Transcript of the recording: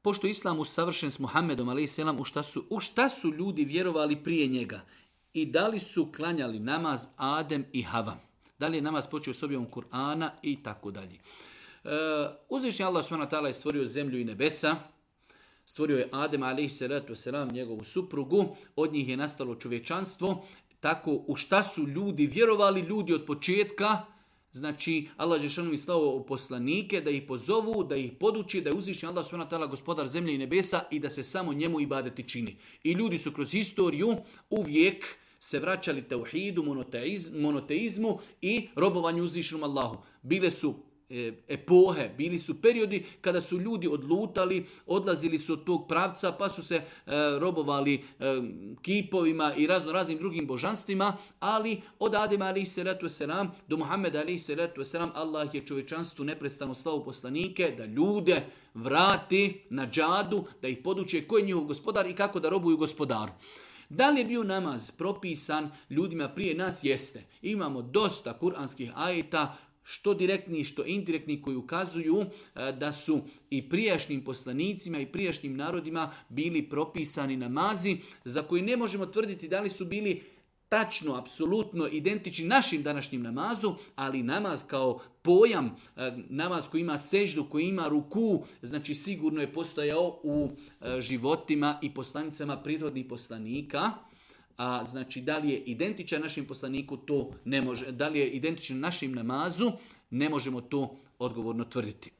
pošto je Islam usavršen s Muhammedom, a.s. u šta su ljudi vjerovali prije njega i da li su klanjali namaz Adem i Hava. Da li je namaz počeo s objavom Kur'ana i tako dalje. Uzvišeni Allah s.w.t. je stvorio zemlju i nebesa, stvorio je Adem a.s. njegovu suprugu, od njih je nastalo čovječanstvo. Tako u šta su ljudi vjerovali, ljudi od početka, znači Allah dželešanu im slao poslanike da ih pozovu, da ih poduči, da je uzvišeni Allah s.w.t. gospodar zemlje i nebesa i da se samo njemu ibadeti čini. I ljudi su kroz historiju uvijek se vraćali tauhidu, monoteizmu i robovanju uzvišenom Allahu. Bile su epohe, bili su periodi kada su ljudi odlutali, odlazili su od tog pravca pa su se robovali kipovima i raznim drugim božanstvima, ali od Adema a.s. do Muhammeda a.s. Allah je čovječanstvu neprestano slao poslanike da ljude vrati na džadu, da ih poduče ko je njihov gospodar i kako da robuju gospodaru. Da li je bio namaz propisan ljudima prije nas? Jeste. Imamo dosta kuranskih ajeta, što direktni, što indirektni, koji ukazuju da su i prijašnjim poslanicima i prijašnjim narodima bili propisani namazi za koji ne možemo tvrditi da li su bili tačno, apsolutno identični našim današnjim namazu, ali namaz kao pojam, namaz koji ima seždu, koji ima ruku, znači sigurno je postojao u životima i poslanicama prirodnih poslanika. A znači da li je identičan našem poslaniku, to ne može. Da li je identičan našem namazu, ne možemo to odgovorno tvrditi.